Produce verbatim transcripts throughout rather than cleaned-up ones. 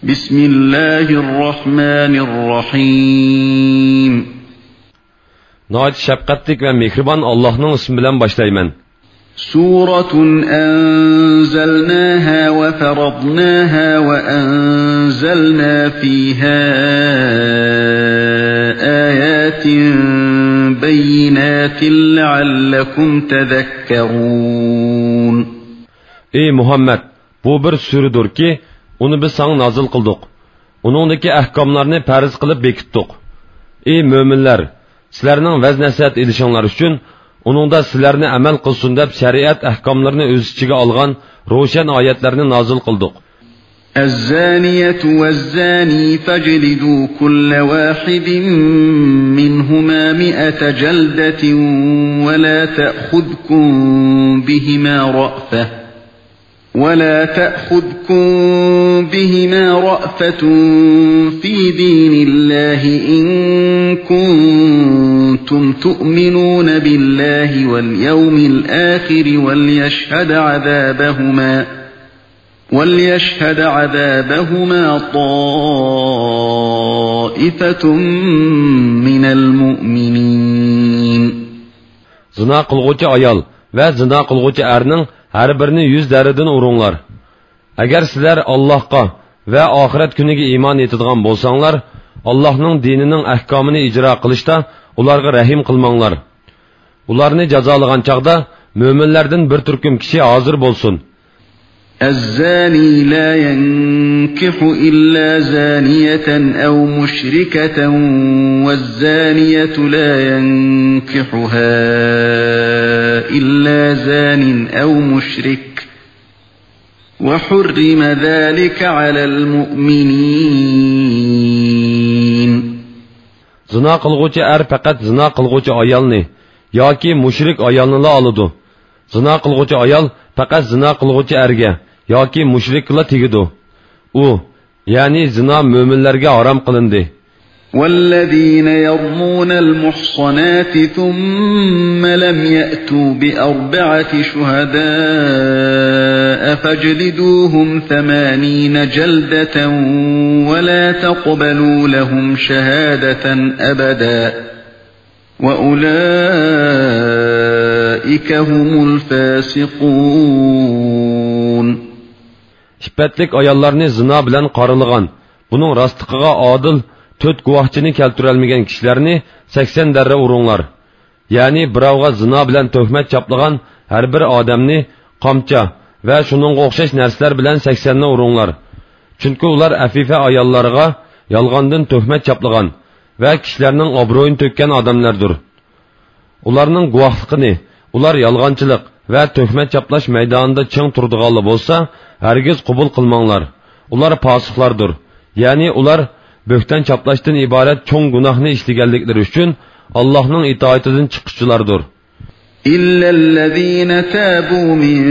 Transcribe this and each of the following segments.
بسم الله الرحمن الرحيم. ناھايىتى شەپقەتلىك ۋە مېھرىبان ئاللاھنىڭ ئىسمى بىلەن باشلايمەن. سورة أنزلناها وفرضناها وأنزلنا فيها آيات بينات لعلكم تذكرون. ئەي مۇھەممەد، بۇ بىر سۈرىدۇركى، ئۇنى بىز ساڭا نازىل قىلدۇق. ئۇنىڭدىكى ئەھكاملارنى پەرز قىلىپ بېكىتتۇق. ئەي مۆمىنلەر، سىلەرنىڭ ۋەز-نەسىھەت ئېلىشىڭلار ئۈچۈن، ئۇنىڭدا سىلەرنى ئەمەل قىلسۇن دەپ شەرىئەت ئەھكاملىرىنى ئۆز ئىچىگە ئالغان روشەن ئايەتلەرنى نازىل قىلدۇق. الزانية والزاني فاجلدوا كل واحد منهما مائة جلدة ولا تأخذكم بهما رأفة ولا تأخذكم بهما رأفة في دين الله إن كنتم تؤمنون بالله واليوم الآخر وليشهد عذابهما، وليشهد عذابهما طائفة من المؤمنين. زىنا قىلغۇچى ئايال ۋە زىنا قىلغۇچى ئەرنىڭ ھەر بىرىنى يۈز دەررىدىن ئۇرۇڭلار. ئەگەر سىلەر ئاللاھقا ۋە ئاخىرەت كۈنىگە ئىمان ئېيتىدىغان بولساڭلار، ئاللاھنىڭ دىنىنىڭ ئەھكامىنى ئىجرا قىلىشتا ئۇلارغا رەھىم قىلماڭلار. ئۇلارنى جازالىغان چاغدا مۆمىنلەردىن بىر تۈركۈم كىشى ھازىر بولسۇن. الزاني لا ينكح إلا زانية أو مشركة والزانية لا ينكحها إلا زان أو مشرك وحرم ذلك على المؤمنين. زىنا قىلغۇچى ئەر پەقەت زىنا قىلغۇچى ئايالنى ياكى مۇشرىك ئايالنىلا ئالىدۇ. زىنا قىلغۇچى ئايال پەقەت زىنا قىلغۇچى ئەرگە ياكى مۇشرىككىلا تېگىدۇ. ئۇ، يەنى زىنا مۆمىنلەرگە ھارام قىلىندى. والذين يرمون المحصنات ثم لم يأتوا بأربعة شهداء فاجلدوهم ثمانين جلدة ولا تقبلوا لهم شهادة أبدا وأولئك هم الفاسقون. ئىپپەتلىك ئاياللارنى زىنا بىلەن قارىلىغان، بۇنىڭ راستلىقىغا ئادىل تۆت گۇۋاھچىنى كەلتۈرەلمىگەن كىشىلەرنى سەكسەن دەررە ئۇرۇڭلار. يەنى بىراۋغا زىنا بىلەن تۆھمەت چاپلىغان ھەر بىر ئادەمنى قامچا ۋە شۇنىڭغا ئوخشاش نەرسىلەر بىلەن سەكسەننى ئۇرۇڭلار. چۈنكى ئۇلار ئەفىفە ئاياللارغا يالغاندىن تۆھمەت چاپلىغان ۋە كىشىلەرنىڭ ئابرۇيىنى تۆككەن ئادەملەردۇر. ئۇلارنىڭ گۇۋاھلىقىنى ئۇلار يالغانچىلىق ۋە تۆھمەت چاپلاش مەيدانىدا چىڭ تۇرىدىغانلا بولسا، ھەرگىز قوبۇل قىلماڭلار. ئۇلار پاسىقلاردۇر. يەنى ئۇلار بۆھتان چاپلاشتىن ئىبارەت چوڭ گۇناھنى ئىشلىگەنلىكلىرى ئۈچۈن ئاللاھنىڭ ئىتائىتىدىن چىققۇچىلاردۇر. إلا الذين تابوا من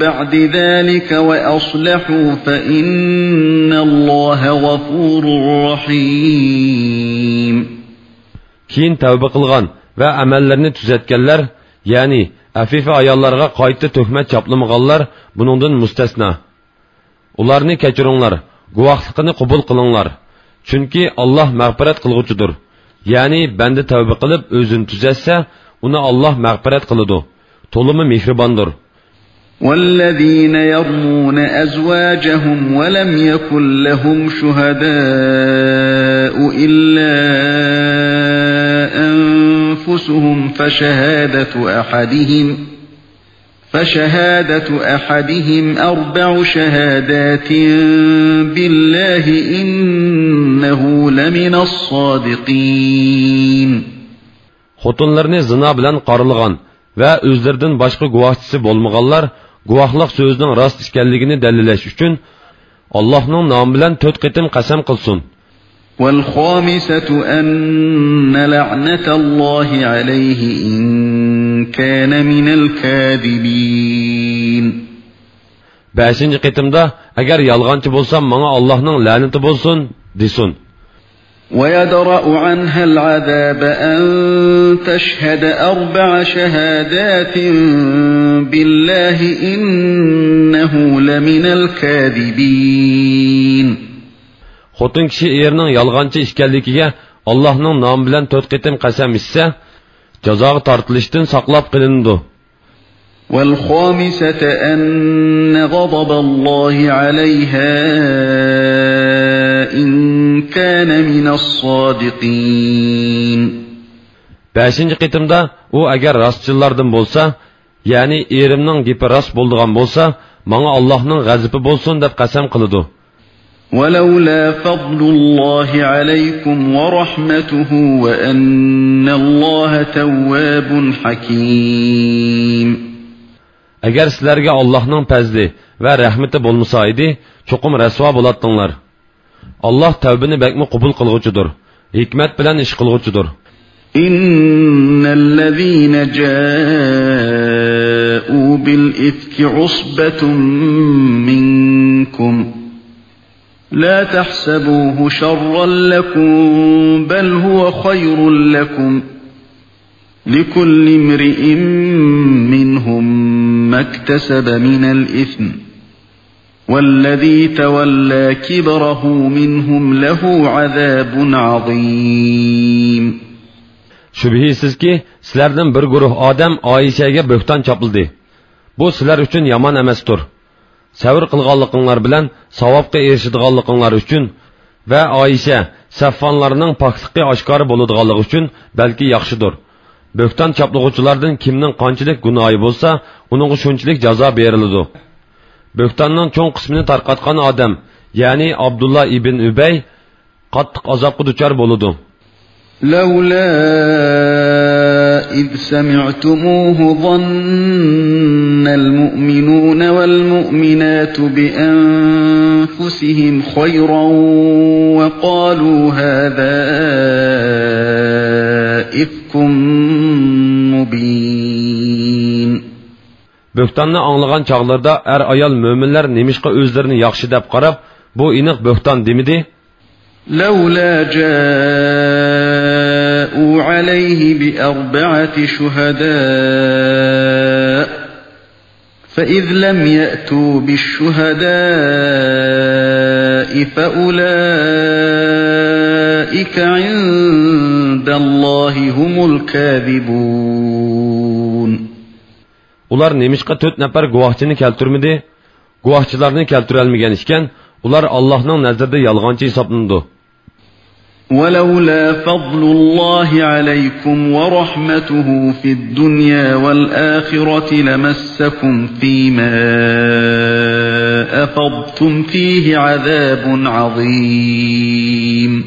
بعد ذلك وأصلحوا فإن الله غفور رحيم. كېيىن تەۋبە قىلغان ۋە ئەمەللىرىنى تۈزەتكەنلەر، يەنى ئەفىفە ئاياللارغا قايتا تۆھمەت چاپلىمىغانلار بۇنىڭدىن مۇستەسنا. ئۇلارنى كەچۈرۈڭلار، گۇۋاھلىقىنى قوبۇل قىلىڭلار. چۈنكى ئاللاھ مەغپىرەت قىلغۇچىدۇر. يەنى بەندە تەۋبە قىلىپ ئۆزىنى تۈزەتسە، ئۇنى ئاللاھ مەغپىرەت قىلىدۇ. تولىمۇ مېھرىباندۇر. والذين يرمون أزواجهم ولم يكن لهم شهداء إلا أنفسهم فشهادة أحدهم، فشهادة أحدهم أربع شهادات بالله إنه لمن الصادقين. خوتۇنلىرىنى زىنا بىلەن قارىلىغان ۋە ئۆزلىرىدىن باشقا گۇۋاھچىسى بولمىغانلار گۇۋاھلىق سۆزىنىڭ راست ئىكەنلىكىنى دەلىللەش ئۈچۈن، ئاللاھنىڭ نامى بىلەن تۆت قېتىم قەسەم قىلسۇن. والخامسة أن لعنة الله عليه إن كان من الكاذبين. بەشىنچى قېتىمدا، ئەگەر يالغانچى بولسام، ماڭا ئاللاھنىڭ لەنىتى بولسۇن، دېسۇن. ويدرأ عنها العذاب أن تشهد أربع شهادات بالله إنه لمن الكاذبين. خوتۇن كىشى ئېرىنىڭ يالغانچى ئىكەنلىكىگە ئاللاھنىڭ نامى بىلەن تۆت قېتىم قەسەم ئىچسە، جازاغا تارتىلىشتىن ساقلاپ قېلىنىدۇ. والخامسة أن غضب الله عليها إن كان من الصادقين. بەشىنچى قېتىمدا ئۇ ئەگەر راستچىللاردىن بولسا، يەنى ئېرىمنىڭ گېپى راست بولىدىغان بولسا، ماڭا ئاللاھنىڭ غەزىپى بولسۇن دەپ قەسەم قىلىدۇ. ولولا فضل الله عليكم ورحمته وأن الله تواب حكيم. ئەگەر سىلەرگە ئاللاھنىڭ پەزلى ۋە رەھمىتى بولمىسا ئىدى، چوقۇم رەسۋا بولاتتىڭلار. ئاللاھ تەۋبىنى بەكمۇ قوبۇل قىلغۇچىدۇر، ھېكمەت بىلەن ئىش قىلغۇچىدۇر. إن الذين جاءوا بالإفك عصبة منكم لا تحسبوه شرا لكم بل هو خير لكم لكل امرئ منهم ما اكتسب من الإثم والذي تولى كبره منهم له عذاب عظيم. شۈبھىسىزكى، سىلەردىن بىر گۇرۇھ ئادەم ئائىشەگە بۆھتان چاپلىدى. بۇ سىلەر ئۈچۈن يامان ئەمەستۇر. سەۋر قىلغانلىقىڭلار بىلەن ساۋابقا ئېرىشىدىغانلىقىڭلار ئۈچۈن ۋە ئائىشە، سەفۋانلارنىڭ پاكلىقى ئاشكارا بولىدىغانلىقى ئۈچۈن بەلكى ياخشىدۇر. بۆھتان چاپلىغۇچىلاردىن كىمنىڭ قانچىلىك گۇناھى بولسا، ئۇنىڭغا شۇنچىلىك جازا بېرىلىدۇ. بۆھتاننىڭ چوڭ قىسمىنى تارقاتقان ئادەم، يەنى ئابدۇللا ئىبن ئۈبەي، قاتتىق ئازابقا دۇچار بولىدۇ. لولا إذ سمعتموه ظن المؤمنون والمؤمنات بأنفسهم خيرا وقالوا هذا إفك مبين. بۆھتاننى ئاڭلىغان چاغلىرىدا ئەر-ئايال مۆمىنلەر نېمىشقا ئۆزلىرىنى ياخشى دەپ قاراپ، بۇ ئېنىق بۆھتان دېمىدى؟ لولا جاءوا عليه بأربعة شهداء فإذ لم يأتوا بالشهداء فأولئك عند الله هم الكاذبون. ئۇلار نېمىشقا تۆت نەپەر گۇۋاھچىنى كەلتۈرمىدى؟ گۇۋاھچىلارنى كەلتۈرەلمىگەن ئىكەن، ئۇلار ئاللاھنىڭ نەزىرىدە يالغانچى ھېسابلىنىدۇ. ولولا فضل الله عليكم ورحمته في الدنيا والآخرة لمسكم فيما أفضتم فيه عذاب عظيم.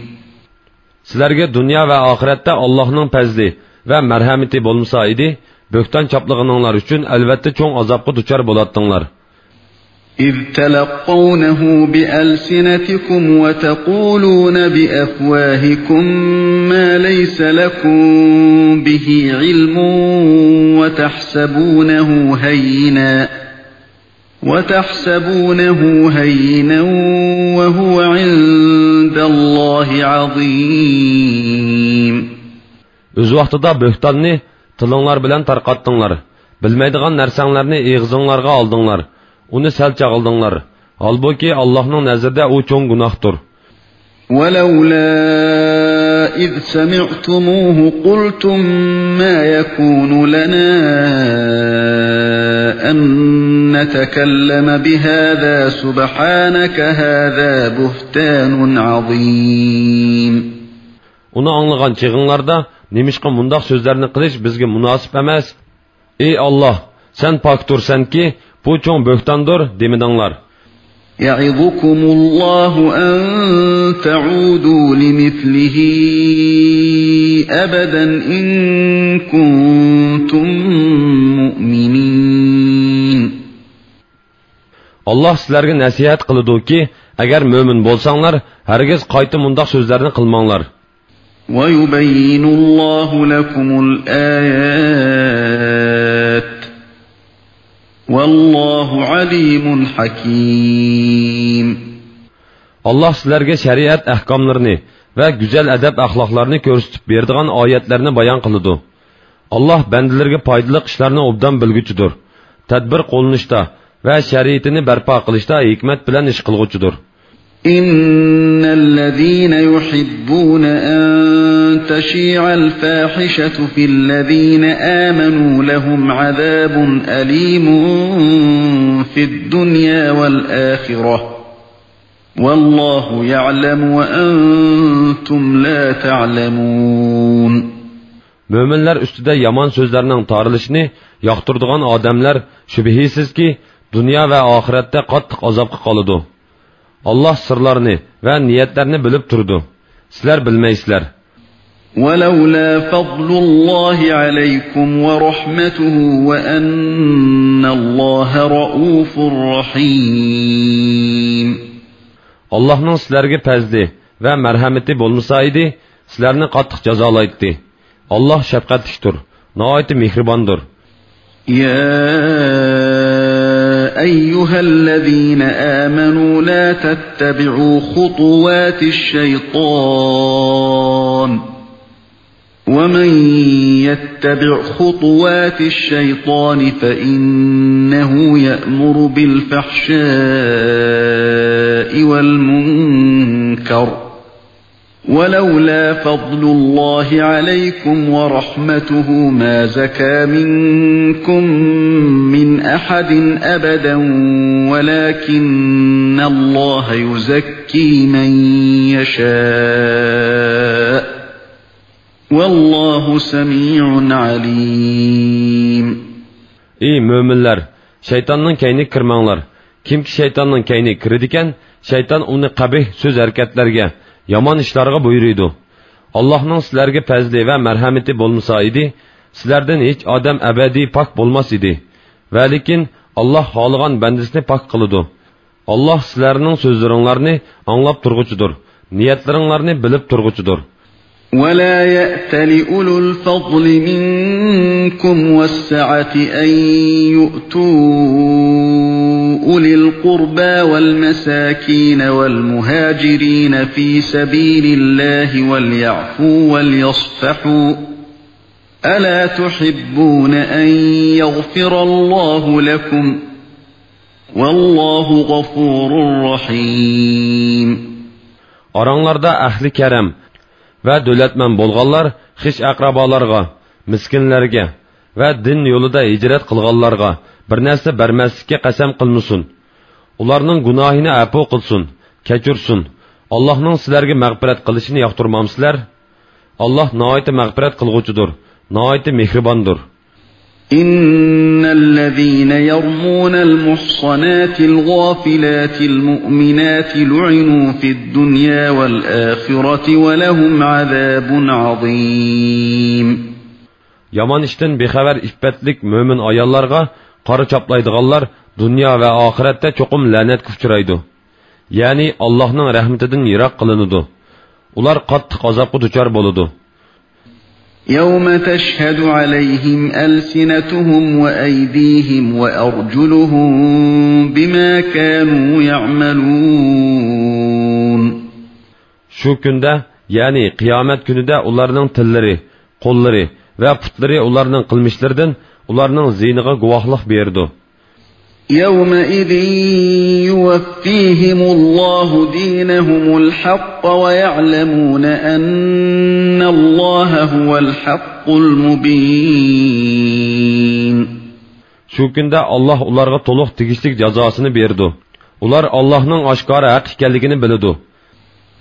سىلەرگە دۇنيا ۋە ئاخىرەتتە ئاللاھنىڭ پەزلى ۋە مەرھەمىتى بولمىسا ئىدى، بۆھتان چاپلىغىنىڭلار ئۈچۈن ئەلۋەتتە چوڭ ئازابقا دۇچار بولاتتىڭلار. إذ تلقونه بألسنتكم وتقولون بأفواهكم ما ليس لكم به علم وتحسبونه هينا وتحسبونه هينا وهو عند الله عظيم. ئۆز ۋاقتىدا بۆھتاننى تىلىڭلار بىلەن تارقاتتىڭلار، بىلمەيدىغان نەرسەڭلەرنى ئېغىزىڭلارغا ئالدىڭلار، ئۇنى سەل چاغلىدىڭلار. ھالبۇكى، ئاللاھنىڭ نەزىرىدە ئۇ چوڭ گۇناھتۇر. ولولا إذ سمعتموه قلتم ما يكون لنا أن نتكلم بهذا سبحانك هذا بهتان عظيم. ئۇنى ئاڭلىغان چېغىڭلاردا، نېمىشقا مۇنداق سۆزلەرنى قىلىش بىزگە مۇناسىپ ئەمەس؟ ئى ئاللاھ، سەن پاكتۇرسەنكى، بۇ چوڭ بۆھتاندۇر، دېمىدىڭلار. يعظكم الله أن تعودوا لمثله أبدا إن كنتم مؤمنين. ئاللاھ سىلەرگە نەسىھەت قىلىدۇكى، ئەگەر مۆمىن بولساڭلار، ھەرگىز قايتا مۇنداق سۆزلەرنى قىلماڭلار. ويبين الله لكم الآيات والله عليم حكيم. ئاللاھ سىلەرگە شەرىئەت ئەھكاملىرىنى ۋە گۈزەل ئەدەپ-ئەخلاقلارنى كۆرسىتىپ بېرىدىغان ئايەتلەرنى بايان قىلىدۇ. ئاللاھ بەندىلىرىگە پايدىلىق ئىشلارنى ئوبدان بىلگۈچىدۇر. تەدبىر قوللىنىشتا ۋە شەرىئىتىنى بەرپا قىلىشتا ھېكمەت بىلەن ئىش قىلغۇچىدۇر. إن الذين يحبون أن تشيع الفاحشة في الذين آمنوا لهم عذاب أليم في الدنيا والآخرة والله يعلم وأنتم لا تعلمون. مۆمىنلەر ئۈستىدە يامان سۆزلەرنىڭ تارىلىشىنى ياقتۇرىدىغان ئادەملەر شۈبھىسىزكى دۇنيا ۋە ئاخىرەتتە قاتتىق ئازابقا قالىدۇ. ئاللاھ سىرلارنى ۋە نىيەتلەرنى بىلىپ تۇرىدۇ. سىلەر بىلمەيسىلەر. ولولا فضل الله عليكم ورحمته وأن الله رءوف رحيم. ئاللاھنىڭ سىلەرگە پەزلى ۋە مەرھەمىتى بولمىسا ئىدى، سىلەرنى قاتتىق جازالايتتى. ئاللاھ شەپقەتلىكتۇر، ناھايىتى مېھرىباندۇر. يا أيها الذين آمنوا لا تتبعوا خطوات الشيطان ومن يتبع خطوات الشيطان فإنه يأمر بالفحشاء والمنكر ولولا فضل الله عليكم ورحمته ما زكى منكم من أحد أبدا ولكن الله يزكي من يشاء والله سميع عليم. ئى مۆمىنلەر، شەيتاننىڭ كەينىگە كىرمەڭلار. كىمكى شەيتاننىڭ كەينىگە كىرىدىكەن، شەيتان ئۇنى قەبىھ سۆز-ھەرىكەتلەرگە، يامان ئىشلارغا بۇيرۇيدۇ. ئاللاھنىڭ سىلەرگە پەزلى ۋە مەرھەمىتى بولمىسا ئىدى، سىلەردىن ھېچ ئادەم ئەبەدىي پاك بولماس ئىدى. ۋەلىكىن ئاللاھ خالىغان بەندىسىنى پاك قىلىدۇ. ئاللاھ سىلەرنىڭ سۆزلىرىڭلارنى ئاڭلاپ تۇرغۇچىدۇر، نىيەتلىرىڭلارنى بىلىپ تۇرغۇچىدۇر. ولا يأتل أولو الفضل منكم والسعة أن يؤتوا أولي القربى والمساكين والمهاجرين في سبيل الله وليعفوا وليصفحوا ألا تحبون أن يغفر الله لكم والله غفور رحيم. ئاراڭلاردا ئەھلى كەرەم ۋە دۆلەتمەن بولغانلار خىش-ئەقرىبالارغا، مىسكىنلەرگە ۋە دىن يولىدا ھىجرەت قىلغانلارغا بىر نەرسە بەرمەسلىككە قەسەم قىلمىسۇن. ئۇلارنىڭ گۇناھىنى ئەپۇ قىلسۇن، كەچۈرسۇن. ئاللاھنىڭ سىلەرگە مەغپىرەت قىلىشىنى ياقتۇرمامسىلەر؟ ئاللاھ ناھايىتى مەغپىرەت قىلغۇچىدۇر، ناھايىتى مېھرىباندۇر. إن الذين يرمون المحصنات الغافلات المؤمنات لعنوا في الدنيا والآخرة ولهم عذاب عظيم. يامان ئىشتىن بىخەۋەر ئىپپەتلىك مۆمىن ئاياللارغا قارا چاپلايدىغانلار دۇنيا ۋە ئاخىرەتتە چوقۇم لەنەتكە ئۇچرايدۇ. يەنى ئاللاھنىڭ رەھمىتىدىن يىراق قىلىنىدۇ. ئۇلار قاتتىق ئازابقا دۇچار بولىدۇ. يوم تشهد عليهم ألسنتهم وأيديهم وأرجلهم بما كانوا يعملون. شۇ كۈندە، يەنى قىيامەت كۈنىدە ئۇلارنىڭ تىللىرى، قوللىرى ۋە پۇتلىرى ئۇلارنىڭ قىلمىشلىرىدىن ئۇلارنىڭ زىيىنىغا گۇۋاھلىق بېرىدۇ. يومئذ يوفيهم الله دينهم الحق ويعلمون أن الله هو الحق المبين. شۇ كۈندە ئاللاھ ئۇلارغا تولۇق تېگىشلىك جازاسىنى بېرىدۇ. ئۇلار ئاللاھنىڭ ئاشكارا ھەق ئىكەنلىكىنى بىلىدۇ.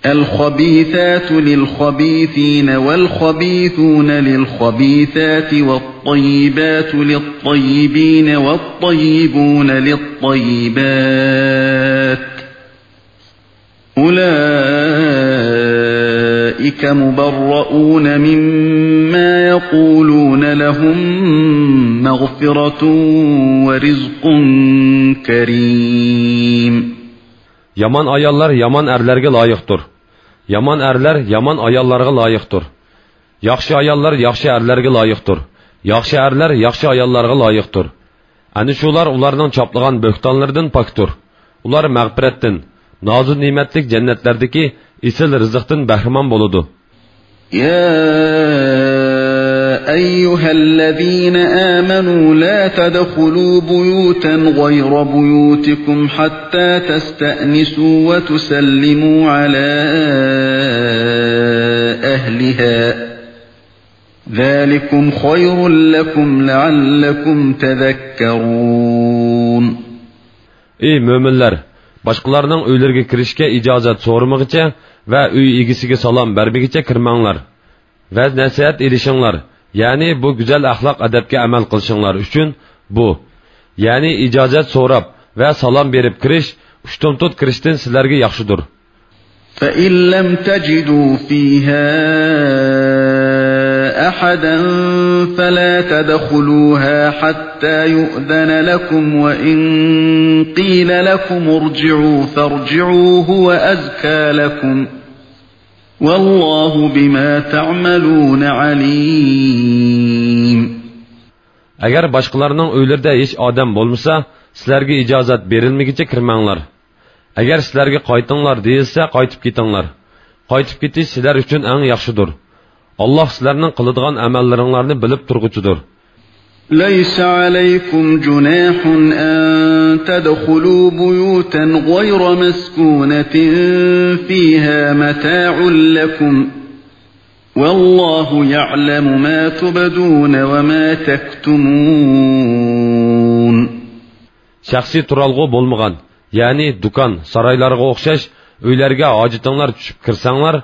الخبيثات للخبيثين والخبيثون للخبيثات والطيبات للطيبين والطيبون للطيبات أولئك مبرؤون مما يقولون لهم مغفرة ورزق كريم. يامان ئاياللار يامان ئەرلەرگە لايىقتۇر. يامان ئەرلەر يامان ئاياللارغا لايىقتۇر. ياخشى ئاياللار ياخشى ئەرلەرگە لايىقتۇر. ياخشى ئەرلەر ياخشى ئاياللارغا لايىقتۇر. ئەنە شۇلار ئۇلارنىڭ چاپلىغان بۆھتانلىرىدىن پاكتۇر. ئۇلار مەغپىرەتتىن، نازۇ نېمەتلىك جەننەتلەردىكى ئېسىل رىزىقتىن بەھرىمەن بولىدۇ. يا أيها الذين آمنوا لا تدخلوا بيوتا غير بيوتكم حتى تستأنسوا وتسلموا على أهلها، ذلكم خير لكم لعلكم تذكرون. ئەي مۆمىنلەر! باشقىلارنىڭ ئۆيلىرىگە كىرىشكە ئىجازەت سورىمىغىچە ۋە ئۆي ئىگىسىگە سالام بەرمىگىچە كىرمەڭلار. ۋەز-نەسىھەت ئېلىشىڭلار، يەنى بۇ گۈزەل ئەخلاق-ئەدەپكە ئەمەل قىلىشىڭلار ئۈچۈن بۇ، يەنى ئىجازەت سوراپ ۋە سالام بېرىپ كىرىش ئۇشتۇمتۇت كىرىشتىن سىلەرگە ياخشىدۇر. فإن لم تجدوا فيها أحدا فلا تدخلوها حتى يؤذن لكم، وإن قيل لكم ارجعوا فارجعوا هو أزكى لكم، والله بما تعملون عليم. ئەگەر باشقىلارنىڭ ئۆيلىرىدە ھېچ ئادەم بولمىسا، سىلەرگە ئىجازەت بېرىلمىگىچە كىرمەڭلار. ئەگەر سىلەرگە قايتىڭلار دېيىلسە، قايتىپ كېتىڭلار. قايتىپ كېتىش سىلەر ئۈچۈن ئەڭ ياخشىدۇر. ئاللاھ سىلەرنىڭ قىلىدىغان ئەمەللىرىڭلارنى بىلىپ تۇرغۇچىدۇر. ليس عليكم جناح أن تدخلوا بيوتا غير مسكونة فيها متاع لكم، والله يعلم ما تبدون وما تكتمون. شەخسىي تۇرالغۇ بولمىغان، يەنى دۇكان، سارايلارغا ئوخشاش ئۆيلەرگە ھاجىتىڭلار چۈشۈپ كىرسەڭلار،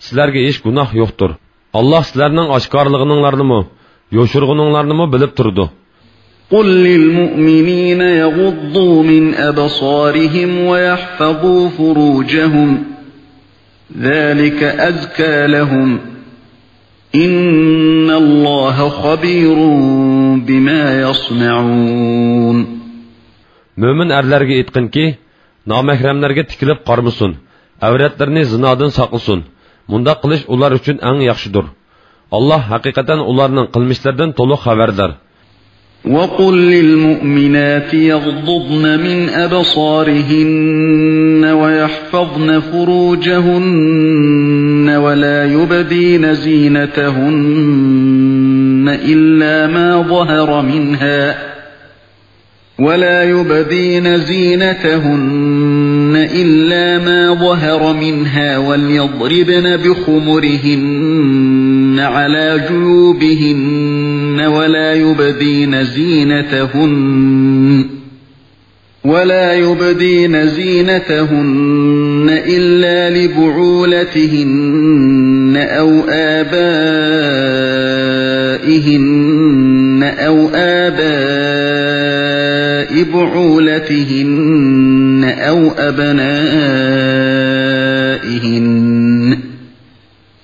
سىلەرگە ھېچ گۇناھ يوقتۇر. ئاللاھ سىلەرنىڭ ئاشكارىلىغىنىڭلارنىمۇ، يوشۇرغىنىڭلارنىمۇ بىلىپ تۇرىدۇ. قل للمؤمنين يغضوا من أبصارهم ويحفظوا فروجهم، ذلك أزكى لهم، إن الله خبير بما يصنعون. مۆمىن ئەرلەرگە ئېيتقىنكى، نامەھرەملەرگە تىكىلىپ قارىمىسۇن، ئەۋرەتلىرىنى زىنادىن ساقلىسۇن. مۇنداق قىلىش ئۇلار ئۈچۈن ئەڭ ياخشىدۇر. ئاللاھ ھەقىقەتەن ئۇلارنىڭ قىلمىشلىرىدىن تولۇق خەۋەردار. وقل للمؤمنات يغضضن من أبصارهن ويحفظن فروجهن ولا يبدين زينتهن إلا ما ظهر منها، ولا يبدين زينتهن إلا ما ظهر منها، وليضربن بخمرهن على جيوبهن، ولا يبدين زينتهن، ولا يبدين زينتهن إلا لبعولتهن أو آبائهن أو آباء بعولتهن أو أبنائهن،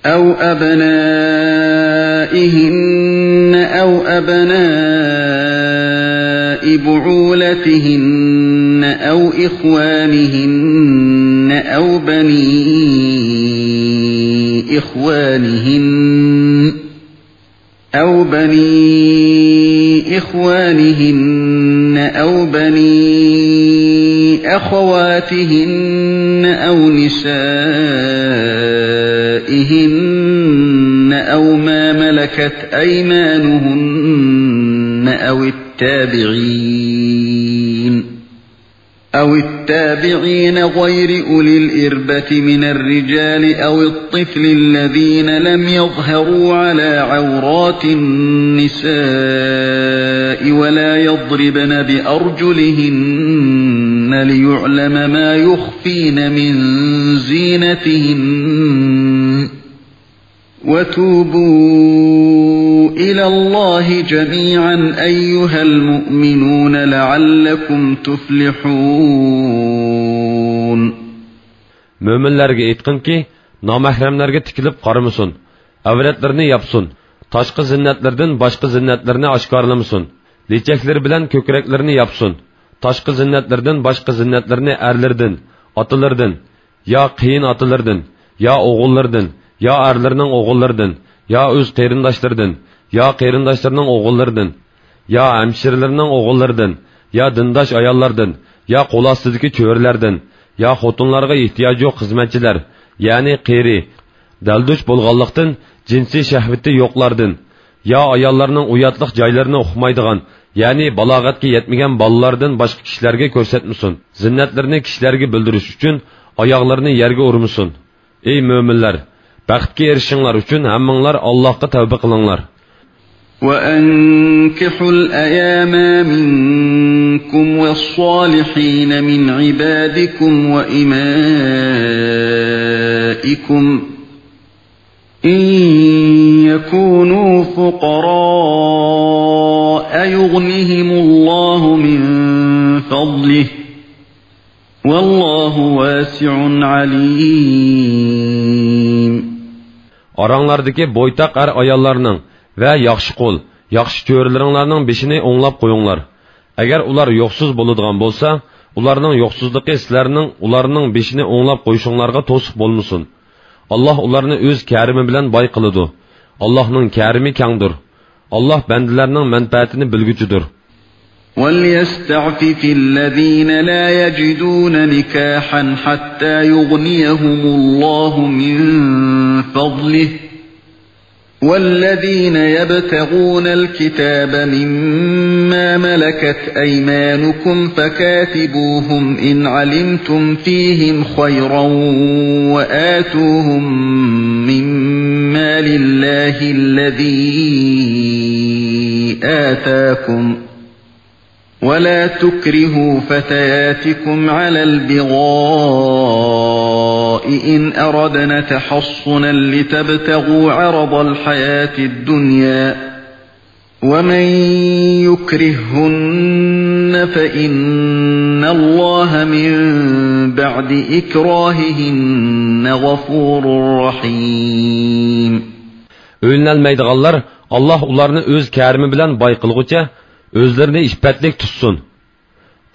أو أبنائهن أو أبناء بعولتهن أو إخوانهن أو بني إخوانهن، أو بني إخوانهن أو بني أخواتهن أو نسائهن أو ما ملكت أيمانهن أو التابعين أو التابعين غير أولي الإربة من الرجال أو الطفل الذين لم يظهروا على عورات النساء ولا يضربن بأرجلهن ليعلم ما يخفين من زينتهن، وتوبوا إلى الله جميعا أيها المؤمنون لعلكم تفلحون. مۆمىنلەرگە ئېيتقىنكى، نامەھرەملەرگە تىكىلىپ قارىمىسۇن، ئەۋرەتلىرىنى ياپسۇن، تاشقى زىننەتلىرىدىن باشقا زىننەتلىرىنى ئاشكارىلىمىسۇن، لېچەكلىرى بىلەن كۆكرەكلىرىنى ياپسۇن، تاشقى زىننەتلىرىدىن باشقا زىننەتلىرىنى ئەرلىرىدىن، ئاتىلىرىدىن، يا قېيىنئاتىلىرىدىن، يا ئوغۇللىرىدىن، يا ئەرلىرىنىڭ ئوغۇللىرىدىن، يا ئۆز قېرىنداشلىرىدىن، يا قېرىنداشلىرىنىڭ ئوغۇللىرىدىن، يا ھەمشىرىلىرىنىڭ ئوغۇللىرىدىن، يا دىنداش ئاياللاردىن، يا قول ئاستىدىكى چۆرىلەردىن، يا خوتۇنلارغا ئېھتىياجى يوق خىزمەتچىلەر، يەنى قېرى، دەلدۈش بولغانلىقتىن، جىنسىي شەھۋىتى يوقلاردىن، يا ئاياللارنىڭ ئۇياتلىق جايلىرىنى ئۇقمايدىغان، يەنى بالاغەتكە يەتمىگەن بالىلاردىن باشقا كىشىلەرگە كۆرسەتمىسۇن. زىننەتلىرىنى كىشىلەرگە بىلدۈرۈش ئۈچۈن ئاياغلىرىنى يەرگە ئۇرمىسۇن. ئەي مۆمىنلەر! بەختكە ئېرىشىشىڭلار ئۈچۈن ھەممىڭلار ئاللاھقا تەۋبە قىلىڭلار. وأنكحوا الأيامى منكم والصالحين من عبادكم وإمائكم إن يكونوا فقراء يغنهم الله من فضله والله واسع عليم. ئاراڭلاردىكى بويتاق ئەر-ئاياللارنىڭ ۋە ياخشى قۇل، ياخشى چۆرىلىرىڭلارنىڭ بېشىنى ئوڭلاپ قويۇڭلار. ئەگەر ئۇلار يوقسۇز بولىدىغان بولسا، ئۇلارنىڭ يوقسۇزلۇقى سىلەرنىڭ ئۇلارنىڭ بېشىنى ئوڭلاپ قويۇشۇڭلارغا توسۇق بولمىسۇن. ئاللاھ ئۇلارنى ئۆز كەرىمى بىلەن باي قىلىدۇ. ئاللاھنىڭ كەرىمى كەڭدۇر. ئاللاھ بەندىلەرنىڭ مەنپەئەتىنى بىلگۈچىدۇر. وليستعفف الذين لا يجدون نكاحا حتى يغنيهم الله من فضله والذين يبتغون الكتاب مما ملكت أيمانكم فكاتبوهم إن علمتم فيهم خيرا وآتوهم من مال الله الذي آتاكم ولا تكرهوا فتياتكم على البغاء إن أردن تحصنا لتبتغوا عرض الحياة الدنيا ومن يكرههن فإن الله من بعد إكراههن غفور رحيم. ئۆيلىنەلمەيدىغانلار ئاللاھ ئۇلارنى ئۆز كەرىمى بىلەن باي قىلغۇچە ئۆزلىرىنى ئىپپەتلىك تۇتسۇن.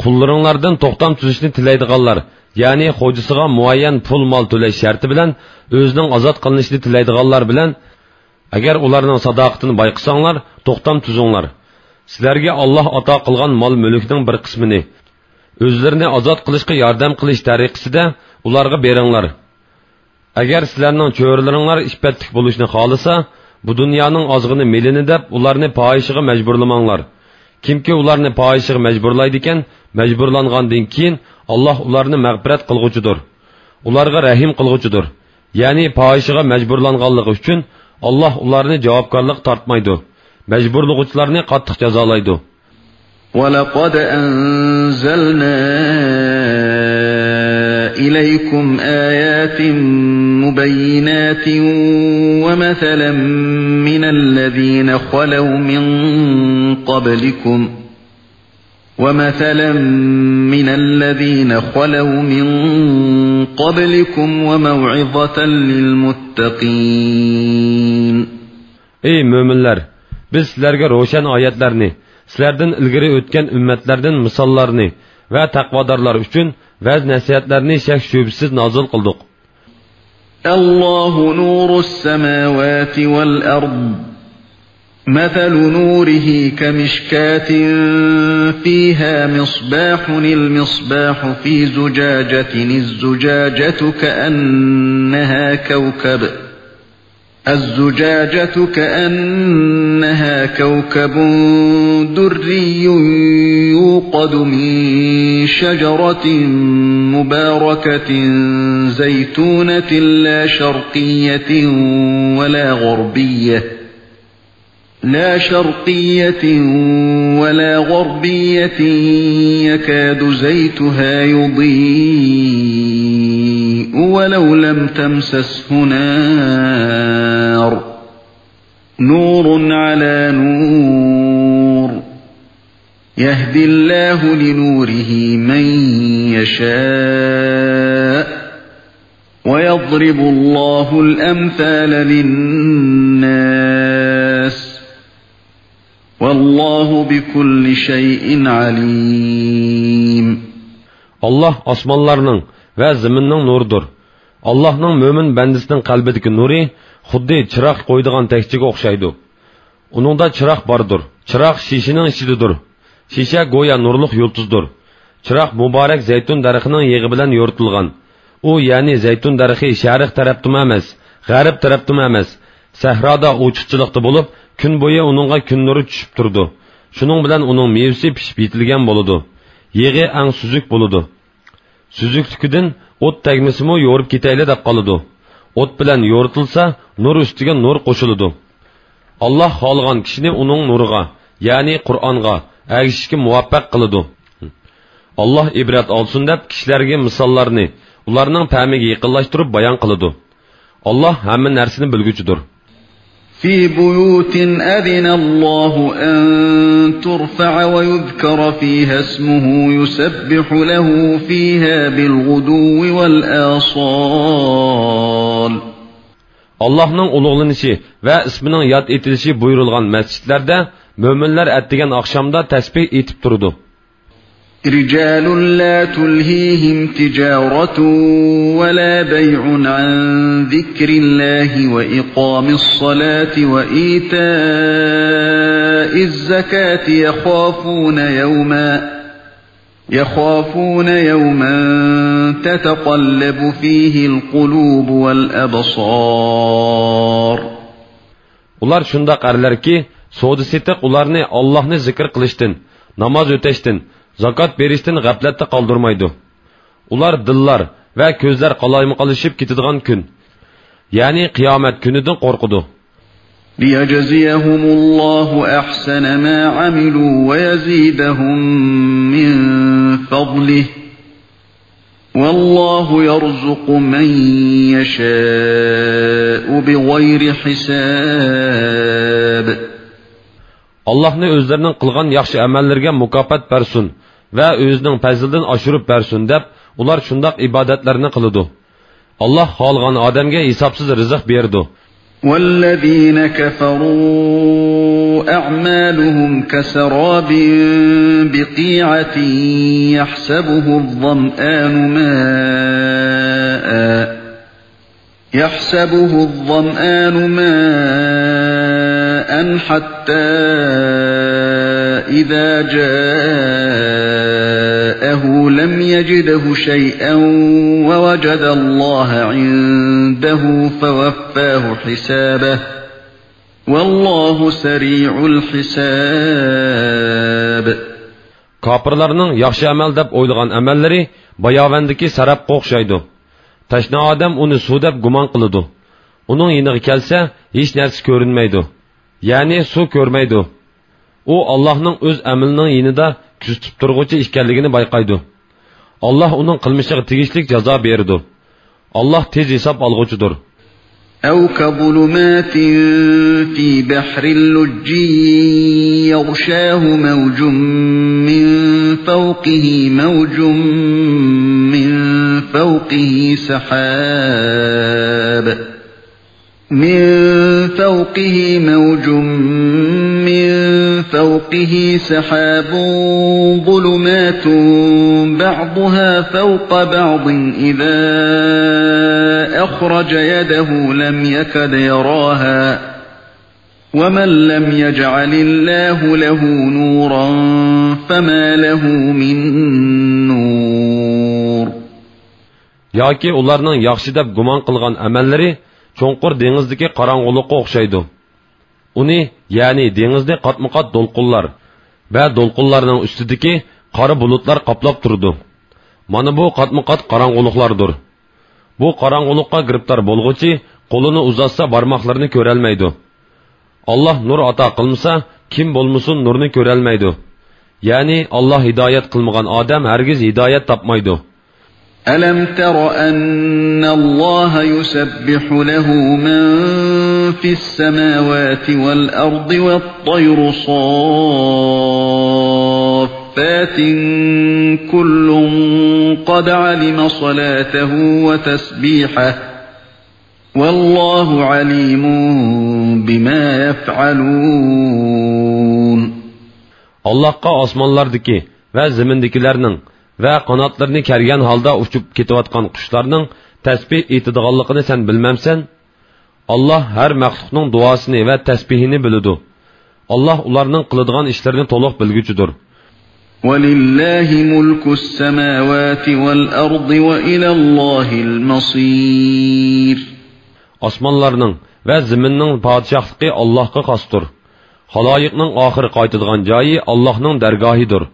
قۇللىرىڭلاردىن توختام تۈزۈشنى تىلەيدىغانلار، يەنى خوجىسىغا مۇئەييەن پۇل-مال تۆلەش شەرتى بىلەن ئۆزىنىڭ ئازاد قىلىنىشىنى تىلەيدىغانلار بىلەن، ئەگەر ئۇلارنىڭ ساداقىتىنى بايقىساڭلار، توختام تۈزۈڭلار. سىلەرگە ئاللاھ ئاتا قىلغان مال-مۈلۈكنىڭ بىر قىسمىنى، ئۆزلىرىنى ئازاد قىلىشقا ياردەم قىلىش تەرىقىسىدە ئۇلارغا بېرىڭلار. ئەگەر سىلەرنىڭ چۆرىلىرىڭلار ئىپپەتلىك بولۇشنى خالىسا، بۇ دۇنيانىڭ ئازغىنە مېلىنى دەپ ئۇلارنى پاھىشىگە مەجبۇرلىماڭلار. كىمكى ئۇلارنى پاھىشىگە مەجبۇرلايدىكەن، مەجبۇرلانغاندىن كېيىن ئاللاھ ئۇلارنى مەغپىرەت قىلغۇچىدۇر. ئۇلارغا رەھىم قىلغۇچىدۇر. يەنى پاھىشىگە مەجبۇرلانغانلىقى ئۈچۈن ئاللاھ ئۇلارنى جاۋابكارلىققا تارتمايدۇ. مەجبۇرلىغۇچىلارنى قاتتىق جازالايدۇ. ولقد أنزلنا إليكم آيات مبينات ومثلا من الذين خلوا من قبلكم ومثلا من الذين خلوا من قبلكم وموعظة للمتقين. ئەي مۆمىنلەر! بىز سىلەرگە روشەن ئايەتلەرنى، سىلەردىن ئىلگىرى ئۆتكەن ئۈممەتلەردىن مىساللارنى ۋە تەقۋادارلار ئۈچۈن ۋەز-نەسىھەتلەرنى شەك-شۈبھىسىز نازىل قىلدۇق. الله نور السماوات والأرض. مثل نوره كمشكاة فيها مصباح، المصباح في زجاجة، الزجاجة كأنها كوكب، الزجاجة كأنها كوكب دري يوقد من شجرة مباركة زيتونة لا شرقية ولا غربية، لا شرقية ولا غربية يكاد زيتها يضيء ولو لم تمسسه نار، نور على نور، يهدي الله لنوره من يشاء، ويضرب الله الأمثال للناس، والله بكل شيء عليم. ئاللاھ ئاسمانلارنىڭ ۋە زېمىننىڭ نۇرىدۇر. ئاللاھنىڭ مۆمىن بەندىسىنىڭ قەلبىدىكى نۇرى خۇددى چىراغ قويىدىغان تەكچىگە ئوخشايدۇ. ئۇنىڭدا چىراغ باردۇر. چىراغ شېشىنىڭ ئىچىدىدۇر. شېشە گويا نۇرلۇق يۇلتۇزدۇر. چىراغ مۇبارەك زەيتۇن دەرىخىنىڭ يېغى بىلەن يورۇتۇلغان. ئۇ، يەنى زەيتۇن دەرىخى شەرق تەرەپتىمۇ ئەمەس، غەرب تەرەپتىمۇ ئەمەس، سەھرادا ئوچۇقچىلىقتا بولۇپ، كۈن بويى ئۇنىڭغا كۈن نۇرى چۈشۈپ تۇرىدۇ. شۇنىڭ بىلەن ئۇنىڭ مېۋىسى پىشىپ يېتىلگەن بولىدۇ. يېغى ئەڭ سۈزۈك بولىدۇ. سۈزۈكلۈكىدىن ئوت تەگمىسىمۇ يورۇپ كېتەيلى دەپ قالىدۇ. ئوت بىلەن يورۇتۇلسا، نۇر ئۈستىگە نۇر قوشۇلىدۇ. ئاللاھ خالىغان كىشىنى ئۇنىڭ نۇرىغا، يەنى قۇرئانغا، ئەگىشىشكە مۇۋەپپەق قىلىدۇ. ئاللاھ ئىبرەت ئالسۇن دەپ كىشىلەرگە مىساللارنى ئۇلارنىڭ پەھمىگە يېقىنلاشتۇرۇپ بايان قىلىدۇ. ئاللاھ ھەممە نەرسىنى بىلگۈچىدۇر. في بيوت أذن الله أن ترفع ويذكر فيها اسمه يسبح له فيها بالغدو والآصال. ئاللاھنىڭ ئۇلۇغلىنىشى ۋە ئىسمىنىڭ ياد ئېتىلىشى بۇيرۇلغان مەسچىتلەردە مۆمىنلەر ئەتىگەن ئاخشامدا تەسبىھ ئېيتىپ تۇرىدۇ. رجال لا تلهيهم تجارة ولا بيع عن ذكر الله وإقام الصلاة وإيتاء الزكاة يخافون يوما، يخافون يوما تتقلب فيه القلوب والأبصار. ئۇلار شۇنداق ئەرلەركى، سودا-سېتىق ئۇلارنى ئاللاھنى زىكىر قىلىشتىن، ناماز ئۆتەشتىن، زاكات بېرىشتىن غەپلەتتە قالدۇرمايدۇ. ئۇلار دىللار ۋە كۆزلەر قالايمىقانلىشىپ كېتىدىغان كۈن، يەنى قىيامەت كۈنىدىن قورقىدۇ. ليجزيهم الله أحسن ما عملوا ويزيدهم من فضله، والله يرزق من يشاء بغير حساب. ئاللاھنى ئۆزلىرىنىڭ قىلغان ياخشى ئەمەللىرىگە مۇكاپات بەرسۇن ۋە ئۆزىنىڭ پەزلىدىن ئاشۇرۇپ بەرسۇن دەپ، ئۇلار شۇنداق ئىبادەتلەرنى قىلىدۇ. ئاللاھ خالىغان ئادەمگە ھېسابسىز رىزىق بېرىدۇ. والذين كفروا أعمالهم كسراب بقيعة يحسبه الظمآن ماء، يحسبه الظمآن ماء حتى إذا جاءه لم يجده شيئا ووجد الله عنده فوفاه حسابه، والله سريع الحساب. كاپىرلارنىڭ ياخشى ئەمەل دەپ ئويلىغان ئەمەللىرى باياۋاندىكى سەرابقا ئوخشايدۇ. تەشنا ئادەم ئۇنى سۇ دەپ گۇمان قىلىدۇ. ئۇنىڭ يېنىغا كەلسە، ھېچ نەرسە كۆرۈنمەيدۇ. يەنى سۇ كۆرمەيدۇ. ئۇ ئاللاھنىڭ ئۆز ئەمىلىنىڭ يېنىدا كۆزىتىپ تۇرغۇچى ئىكەنلىكىنى بايقايدۇ. ئاللاھ ئۇنىڭ قىلمىشىغا تېگىشلىك جازا بېرىدۇ. ئاللاھ تېز ھېساب ئالغۇچىدۇر. أو كظلمات في بحر لجي يغشاه موج من فوقه موج من فوقه سحاب، من فوقه موج من فوقه سحاب ظلمات بعضها فوق بعض إذا أخرج يده لم يكد يراها، ومن لم يجعل الله له نورا فما له من نور. ياكى ئۇلارنىڭ ياخشى دەپ گۇمان قىلغان ئەمەللىرى چوڭقۇر دېڭىزدىكى قاراڭغۇلۇققا ئوخشايدۇ. ئۇنى، يەنى دېڭىزنى قاتمۇقات دولقۇنلار ۋە دولقۇنلارنىڭ ئۈستىدىكى قارا بۇلۇتلار قاپلاپ تۇرىدۇ. مانا بۇ قاتمۇقات قاراڭغۇلۇقلاردۇر. بۇ قاراڭغۇلۇققا گىرىپتار بولغۇچى قولىنى ئۇزاتسا بارماقلىرىنى كۆرەلمەيدۇ. ئاللاھ نۇر ئاتا قىلمىسا، كىم بولمىسۇن نۇرنى كۆرەلمەيدۇ. يەنى ئاللاھ ھىدايەت قىلمىغان ئادەم ھەرگىز ھىدايەت تاپمايدۇ. ألم تر أن الله يسبح له من في السماوات والأرض والطير صافات كل قد علم صلاته وتسبيحه والله عليم بما يفعلون. ئاللاھقا ئاسمانلاردىكى ۋە زېمىندىكىلەرنىڭ ۋە قاناتلىرىنى كەرگەن ھالدا ئۇچۇپ كېتىۋاتقان قۇشلارنىڭ تەسبىھ ئېيتىدىغانلىقىنى سەن بىلمەمسەن؟ ئاللاھ ھەر مەخلۇقنىڭ دۇئاسىنى ۋە تەسبىھىنى بىلىدۇ. ئاللاھ ئۇلارنىڭ قىلىدىغان ئىشلىرىنى تولۇق بىلگۈچىدۇر. ولله ملك السماوات والأرض وإلى الله المصير. ئاسمانلارنىڭ ۋە زېمىننىڭ پادىشاھلىقى ئاللاھقا خاستۇر. خالايىقنىڭ ئاخىرى قايتىدىغان جايى ئاللاھنىڭ دەرگاھىدۇر.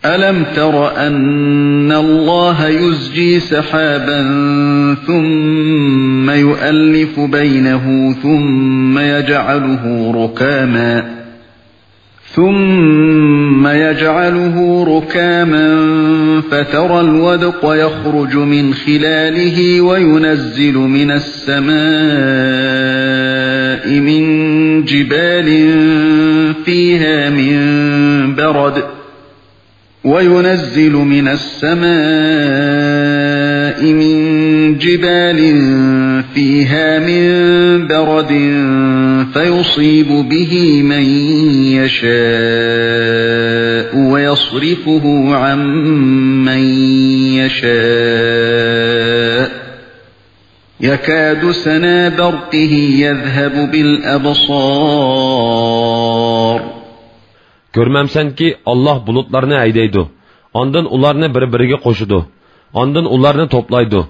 ألم تر أن الله يزجي سحابا ثم يؤلف بينه ثم يجعله ركاما ثم يجعله ركاما فترى الودق يخرج من خلاله وينزل من السماء من جبال فيها من برد وينزل من السماء من جبال فيها من برد فيصيب به من يشاء ويصرفه عن من يشاء يكاد سنا برقه يذهب بالأبصار. كۆرمەمسەنكى، ئاللاھ بۇلۇتلارنى ھەيدەيدۇ، ئاندىن ئۇلارنى بىر-بىرىگە قوشىدۇ، ئاندىن ئۇلارنى توپلايدۇ.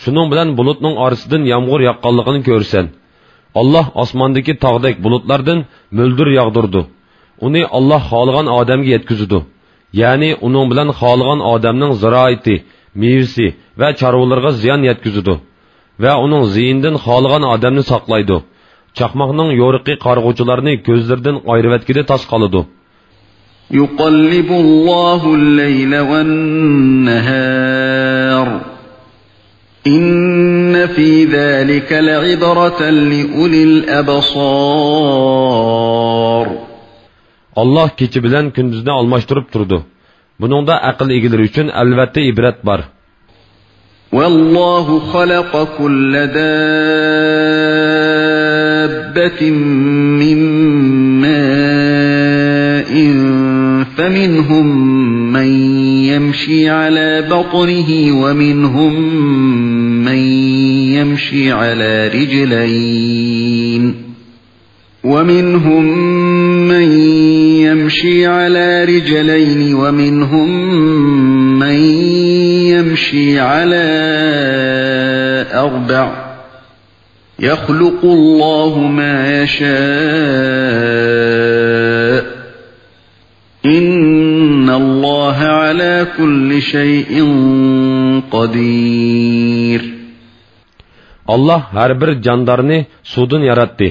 شۇنىڭ بىلەن بۇلۇتنىڭ ئارىسىدىن يامغۇر ياغقانلىقىنى كۆرىسەن. ئاللاھ ئاسماندىكى تاغدەك بۇلۇتلاردىن مۆلدۈر ياغدۇرىدۇ. ئۇنى ئاللاھ خالىغان ئادەمگە يەتكۈزىدۇ. يەنى ئۇنىڭ بىلەن خالىغان ئادەمنىڭ زىرائىتى، مېۋىسى ۋە چارۋىلىرىغا زىيان يەتكۈزىدۇ. ۋە ئۇنىڭ زىيىنىدىن خالىغان ئادەمنى ساقلايدۇ. چاقماقنىڭ يورۇقى قارىغۇچىلارنى كۆزلىرىدىن ئايرىۋەتكىلى تاس قالىدۇ. يقلب الله الليل والنهار إن في ذلك لعبرة لأولي الأبصار. ئاللاھ كېچە بىلەن كۈندۈزنى ئالماشتۇرۇپ تۇرىدۇ. بۇنىڭدا ئەقىل ئىگىلىرى ئۈچۈن ئەلۋەتتە ئىبرەت بار. والله خلق كل دابة من ماء فمنهم من يمشي على بطنه ومنهم من يمشي على رجلين ومنهم من يمشي على رجلين ومنهم من يمشي على أربع يخلق الله ما يشاء إن الله على كل شيء قدير. ئاللاھ ھەر بىر جاندارنى سۇدىن ياراتتى.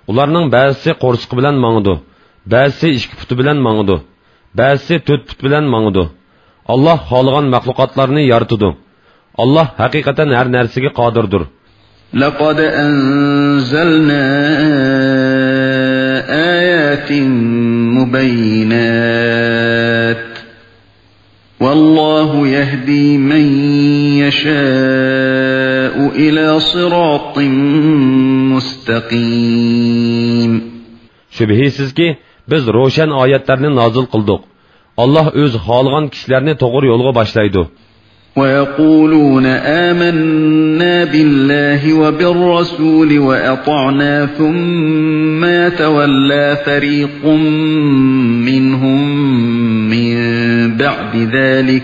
ئۇلارنىڭ بەزىسى قورسىقى بىلەن ماڭىدۇ، بەزىسى ئىككى پۇتى بىلەن ماڭىدۇ، بەزىسى تۆت پۇت بىلەن ماڭىدۇ. ئاللاھ خالىغان مەخلۇقاتلارنى يارىتىدۇ. ئاللاھ ھەقىقەتەن ھەر نەرسىگە قادىردۇر. لقد أنزلنا آيات مبينات والله يهدي من يشاء إلى صراط مستقيم. شۈبھىسىزكى، بىز روشەن ئايەتلەرنى نازىل قىلدۇق. ئاللاھ ئۆزى خالىغان كىشىلەرنى توغرا يولغا باشلايدۇ. ويقولون آمنا بالله وبالرسول وأطعنا ثم يتولى فريق منهم من بعد ذلك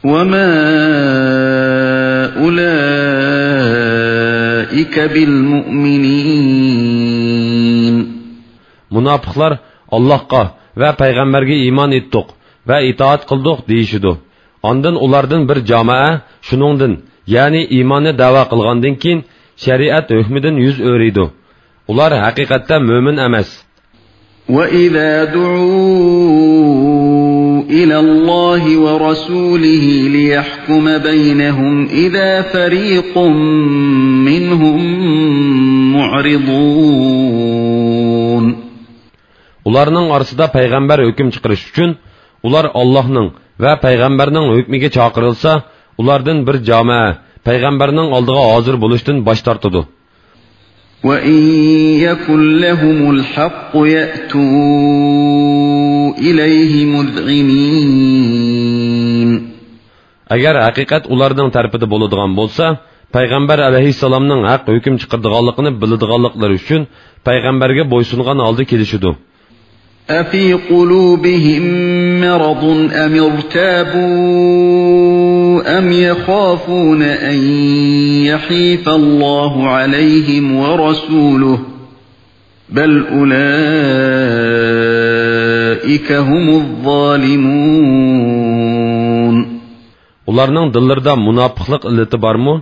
وما أولئك بالمؤمنين. مۇناپىقلار ئاللاھقا ۋە پەيغەمبەرگە ئىمان ئېيتتۇق ۋە ئىتائەت قىلدۇق دېيىشىدۇ. ئاندىن ئۇلاردىن بىر جامائە شۇنىڭدىن، يەنى ئىماننى دەۋا قىلغاندىن كېيىن شەرىئەت ھۆكمىدىن يۈز ئۆرۈيدۇ. ئۇلار ھەقىقەتتە مۆمىن ئەمەس. وإذا دعوا إلى الله ورسوله ليحكم بينهم إذا فريق منهم معرضون. ئۇلارنىڭ ئارىسىدا پەيغەمبەر ھۆكۈم چىقىرىش ئۈچۈن، ئۇلار ئاللاھنىڭ ۋە پەيغەمبەرنىڭ ھۆكمىگە چاقىرىلسا، ئۇلاردىن بىر جامائە پەيغەمبەرنىڭ ئالدىغا ھازىر بولۇشتىن باش تارتىدۇ. وإن يكن لهم الحق يأتوا إليه مذعنين. ئەگەر ھەقىقەت ئۇلارنىڭ تەرىپىدە بولىدىغان بولسا، پەيغەمبەر ئەلەيھىسسالامنىڭ ھەق ھۆكۈم چىقىرىدىغانلىقىنى بىلىدىغانلىقلىرى ئۈچۈن پەيغەمبەرگە بويسۇنغان ھالدا كېلىشىدۇ. أفي قلوبهم مرض أم ارتابوا أَمْ يَخَافُونَ أَنْ يَحِيفَ اللَّهُ عَلَيْهِمْ وَرَسُولُهُ بَلْ أُولَئِكَ هُمُ الظَّالِمُونَ. ئۇلارنىڭ دىللىرىدا مۇناپىقلىق ئىللىتى بارمۇ؟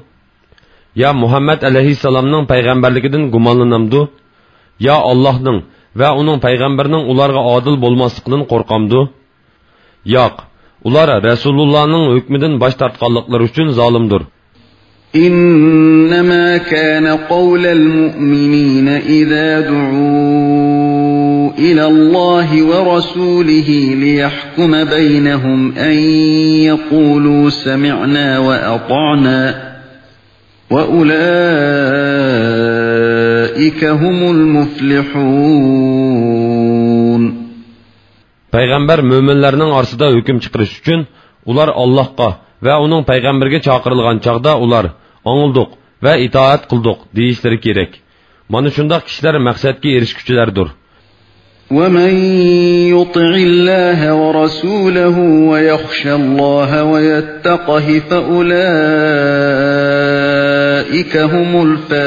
يا مۇھەممەد ئەلەيھىسسالامنىڭ پەيغەمبەرلىكىدىن گۇمانلىنامدۇ؟ يا ئاللاھنىڭ ۋە ئۇنىڭ پەيغەمبىرىنىڭ ئۇلارغا ئادىل بولماسلىقىدىن قورقامدۇ؟ ياق، ئۇلار رەسۇلۇللانىڭ ھۆكمىدىن باش تارتقانلىقلىرى ئۈچۈن زالىمدۇر. إِنَّمَا كَانَ قَوْلَ الْمُؤْمِنِينَ إِذَا دُعُوا إِلَى اللَّهِ وَرَسُولِهِ لِيَحْكُمَ بَيْنَهُمْ أَنْ يَقُولُوا سَمِعْنَا وَأَطَعْنَا وَأُولَئِكَ هُمُ الْمُفْلِحُونَ. پەيغەمبەر مۆمىنلەرنىڭ ئارىسىدا ھۆكۈم چىقىرىش ئۈچۈن، ئۇلار ئاللاھقا ۋە ئۇنىڭ پەيغەمبىرىگە چاقىرىلغان چاغدا ئۇلار، «ئاڭلىدۇق ۋە ئىتائەت قىلدۇق» دېيىشلىرى كېرەك. مانا شۇنداق كىشىلەر مەقسەتكە ئېرىشكۈچىلەردۇر. وَمَنْ يُطِعِ اللَّهَ وَرَسُولَهُ وَيَخْشَ اللَّهَ وَيَتَّقْهِ فَأُولَئِكَ هُمُ الْفَائِزُونَ.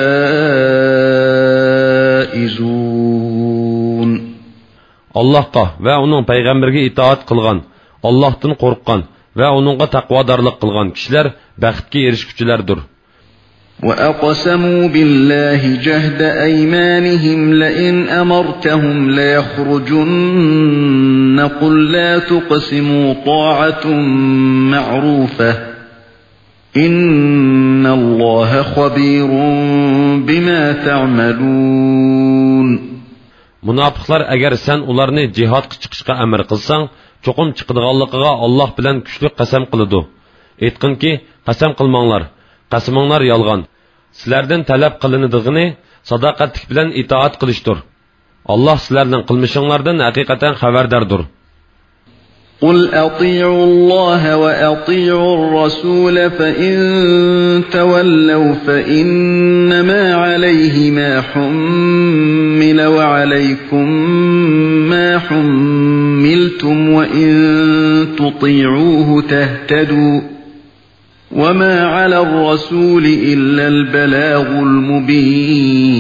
ئاللاھقا ۋە ئۇنىڭ پەيغەمبىرىگە ئىتائەت قىلغان، ئاللاھتىن قورققان ۋە ئۇنىڭغا تەقۋادارلىق قىلغان كىشىلەر بەختكە ئېرىشكۈچىلەردۇر. وَأَقْسَمُوا بِاللَّهِ جَهْدَ أَيْمَانِهِمْ لَئِنْ أَمَرْتَهُمْ لَيَخْرُجُنَّ قُل لَّا تُقْسِمُوا طَاعَةٌ مَّعْرُوفَةٌ إِنَّ اللَّهَ خَبِيرٌ بِمَا تَعْمَلُونَ. مۇناپىقلار ئەگەر سەن ئۇلارنى جىھادقا چىقىشقا ئەمىر قىلساڭ، چوقۇم چىقىدىغانلىقىغا ئاللاھ بىلەن كۈچلۈك قەسەم قىلىدۇ. ئېيتقىنكى، قەسەم قىلماڭلار، قەسىمىڭلار يالغان. سىلەردىن تەلەپ قىلىنىدىغىنى ساداقەتلىك بىلەن ئىتائەت قىلىشتۇر. ئاللاھ سىلەرنىڭ قىلمىشىڭلاردىن ھەقىقەتەن خەۋەرداردۇر. قُلْ أَطِيعُوا اللَّهَ وَأَطِيعُوا الرَّسُولَ فَإِنْ تَوَلَّوْا فَإِنَّمَا عَلَيْهِ مَا حُمِّلَ وَعَلَيْكُمْ مَا حُمِّلْتُمْ وَإِنْ تُطِيعُوهُ تَهْتَدُوا وَمَا عَلَى الرَّسُولِ إِلَّا الْبَلَاغُ الْمُبِينُ.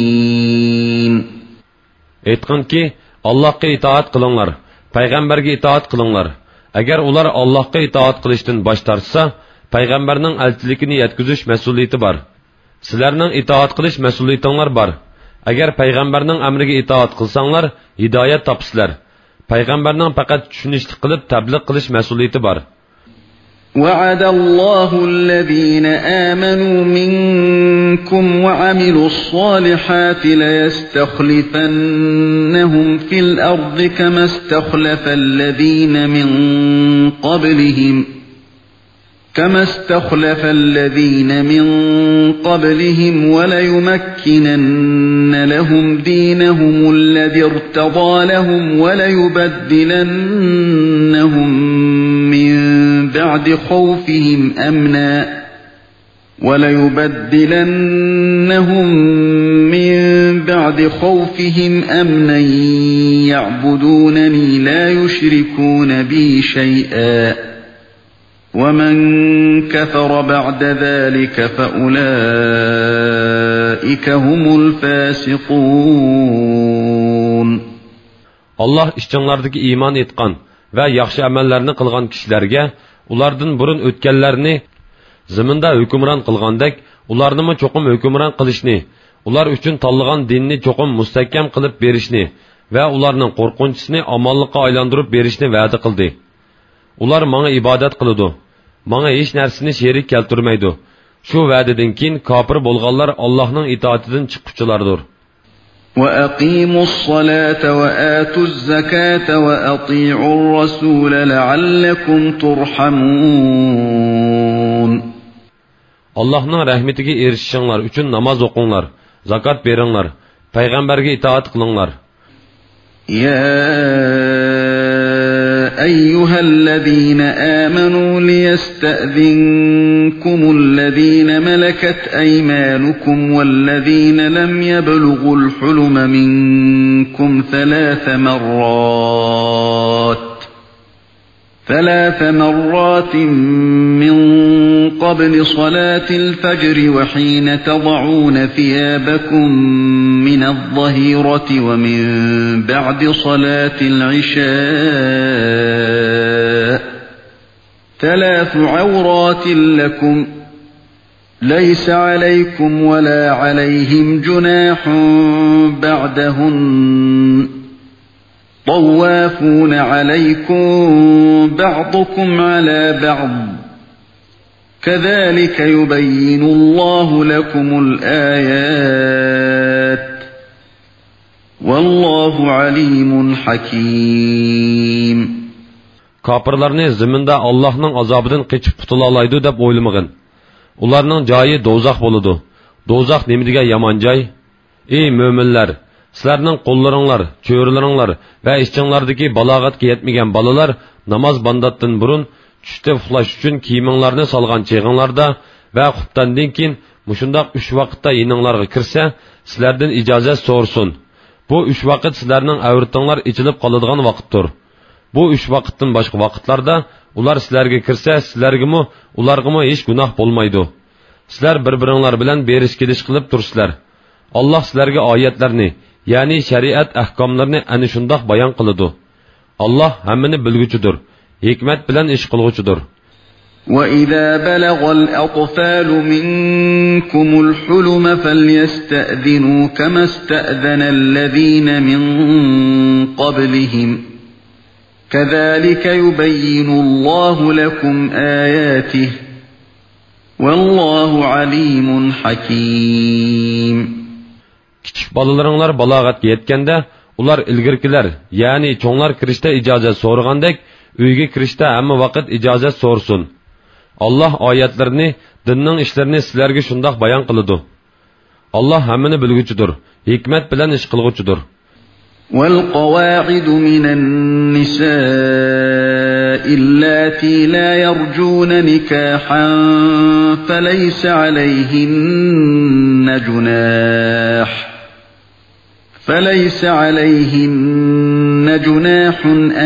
ئېيتقىنكى، ئاللاھقا ئىتائەت قىلىڭلار، پەيغەمبەرگە ئىتائەت قىلىڭلار. ئەگەر ئۇلار ئاللاھقا ئىتائەت قىلىشتىن باش تارتسا، پەيغەمبەرنىڭ ئەلچىلىكىنى يەتكۈزۈش مەسئۇلىيىتى بار. سىلەرنىڭ ئىتائەت قىلىش مەسئۇلىيىتىڭلار بار. ئەگەر پەيغەمبەرنىڭ ئەمرىگە ئىتائەت قىلساڭلار، ھىدايەت تاپىسىلەر. پەيغەمبەرنىڭ پەقەت چۈشىنىشلىك قىلىپ تەبلىغ قىلىش مەسئۇلىيىتى بار. وَعَدَ اللَّهُ الَّذِينَ آمَنُوا مِنْكُمْ وَعَمِلُوا الصَّالِحَاتِ لَيَسْتَخْلِفَنَّهُمْ فِي الْأَرْضِ كَمَا اسْتَخْلَفَ الَّذِينَ مِنْ قَبْلِهِمْ كَمَا اسْتَخْلَفَ الَّذِينَ مِنْ قَبْلِهِمْ وَلَيُمَكِّنَنَّ لَهُمْ دِينَهُمُ الَّذِي ارْتَضَى لَهُمْ وَلَيُبَدِّلَنَّهُمْ مِنْ بَعْدِ خَوْفِهِمْ أَمْنًا وَلَيُبَدِّلَنَّهُمْ مِنْ بَعْدِ خَوْفِهِمْ أَمْنًا يَعْبُدُونَنِي لَا يُشْرِكُونَ بِي شَيْئًا وَمَنْ كَفَرَ بَعْدَ ذَلِكَ فَأُولَئِكَ هُمُ الْفَاسِقُونَ. ئاللاھ ئىچىڭلاردىكى ئىمان ئېيتقان ۋە ياخشى ئەمەللەرنى قىلغان كىشىلەرگە ئۇلاردىن بۇرۇن ئۆتكەنلەرنى زېمىندا ھۆكۈمران قىلغاندەك، ئۇلارنىمۇ چوقۇم ھۆكۈمران قىلىشنى، ئۇلار ئۈچۈن تاللىغان دىننى چوقۇم مۇستەھكەم قىلىپ بېرىشنى ۋە ئۇلارنىڭ قورقۇنچىسىنى ئامانلىققا ئايلاندۇرۇپ بېرىشنى ۋەدە قىلدى. ئۇلار ماڭا ئىبادەت قىلىدۇ، ماڭا ھېچ نەرسىنى شېرىك كەلتۈرمەيدۇ. شۇ ۋەدىدىن كېيىن كاپىر بولغانلار ئاللاھنىڭ ئىتائىتىدىن چىققۇچىلاردۇر. وَأَقِيمُوا الصَّلَاةَ وَآتُوا الزَّكَاةَ وَأَطِيعُوا الرَّسُولَ لَعَلَّكُمْ تُرْحَمُونَ. ئاللاھنىڭ رەھمىتىگە ئېرىشىشىڭلار ئۈچۈن ناماز ئوقۇڭلار، زاكات بېرىڭلار، پەيغەمبەرگە ئىتائەت قىلىڭلار. يَا أَيُّهَا الَّذِينَ آمَنُوا لِيَسْتَأْذِنكُمُ الَّذِينَ مَلَكَتْ أَيْمَانُكُمْ وَالَّذِينَ لَمْ يَبْلُغُوا الْحُلُمَ مِنكُمْ ثَلَاثَ مَرَّاتٍ ثلاث مرات من قبل صلاة الفجر وحين تضعون ثيابكم من الظهيرة ومن بعد صلاة العشاء، ثلاث عورات لكم، ليس عليكم ولا عليهم جناح بعدهن، طوافون عليكم بعضكم على بعض، كذلك يبين الله لكم الآيات، والله عليم حكيم. كاپىرلارنى زېمىندا ئاللاھنىڭ ئازابىدىن قېچىپ قۇتۇلالايدۇ دەپ ئويلىمىغىن. ئۇلارنىڭ جايى دوزاخ بولىدۇ. دوزاخ نېمىدېگەن يامان جاي! ئى مۆمىنلەر! سىلەرنىڭ قوللىرىڭلار، چۆرىلىرىڭلار ۋە ئىچىڭلاردىكى بالاغەتكە يەتمىگەن بالىلار ناماز بامداتتىن بۇرۇن چۈشتە ئۇخلاش ئۈچۈن كىيىمىڭلارنى سالغان چېغىڭلاردا ۋە خۇپتاندىن كېيىن مۇشۇنداق ئۈچ ۋاقىتتا يېنىڭلارغا كىرسە، سىلەردىن ئىجازەت سورىسۇن. بۇ ئۈچ ۋاقىت سىلەرنىڭ ئەۋرىتىڭلار ئېچىلىپ قالىدىغان ۋاقىتتۇر. بۇ ئۈچ ۋاقىتتىن باشقا ۋاقىتلاردا ئۇلار سىلەرگە كىرسە، سىلەرگىمۇ، ئۇلارغىمۇ ھېچ گۇناھ بولمايدۇ. سىلەر بىر-بىرىڭلار بىلەن بېرىش-كېلىش قىلىپ تۇرىسىلەر. ئاللاھ سىلەرگە ئايەتلەرنى، يەنى شەرىئەت ئەھكاملىرىنى ئەنە شۇنداق بايان قىلىدۇ. ئاللاھ ھەممىنى بىلگۈچىدۇر، ھېكمەت بىلەن ئىش قىلغۇچىدۇر. وَإِذَا بَلَغَ الْأَطْفَالُ مِنْكُمُ الْحُلُمَ فَلْيَسْتَأْذِنُوا كَمَا اسْتَأْذَنَ الَّذِينَ مِنْ قَبْلِهِمْ، كَذَلِكَ يُبَيِّنُ اللَّهُ لَكُمْ آيَاتِهِ، وَاللَّهُ عَلِيمٌ حَكِيمٌ. كىچىك بالىلىرىڭلار بالاغەتكە يەتكەندە، ئۇلار ئىلگىرىكىلەر، يەنى چوڭلار كىرىشتە ئىجازەت سورىغاندەك، ئۆيگە كىرىشتە ھەممە ۋاقىت ئىجازەت سورىسۇن. ئاللاھ ئايەتلىرىنى، دىننىڭ ئىشلىرىنى سىلەرگە شۇنداق بايان قىلىدۇ. ئاللاھ ھەممىنى بىلگۈچىدۇر، ھېكمەت بىلەن ئىش قىلغۇچىدۇر. وَالْقَوَاعِدُ مِنَ النِّسَاءِ اللَّاتِي لَا يَرْجُونَ نِكَاحًا فَلَيْسَ عَلَيْهِنَّ جُنَاحٌ، فَلَيْسَ عَلَيْهِنَّ جُنَاحٌ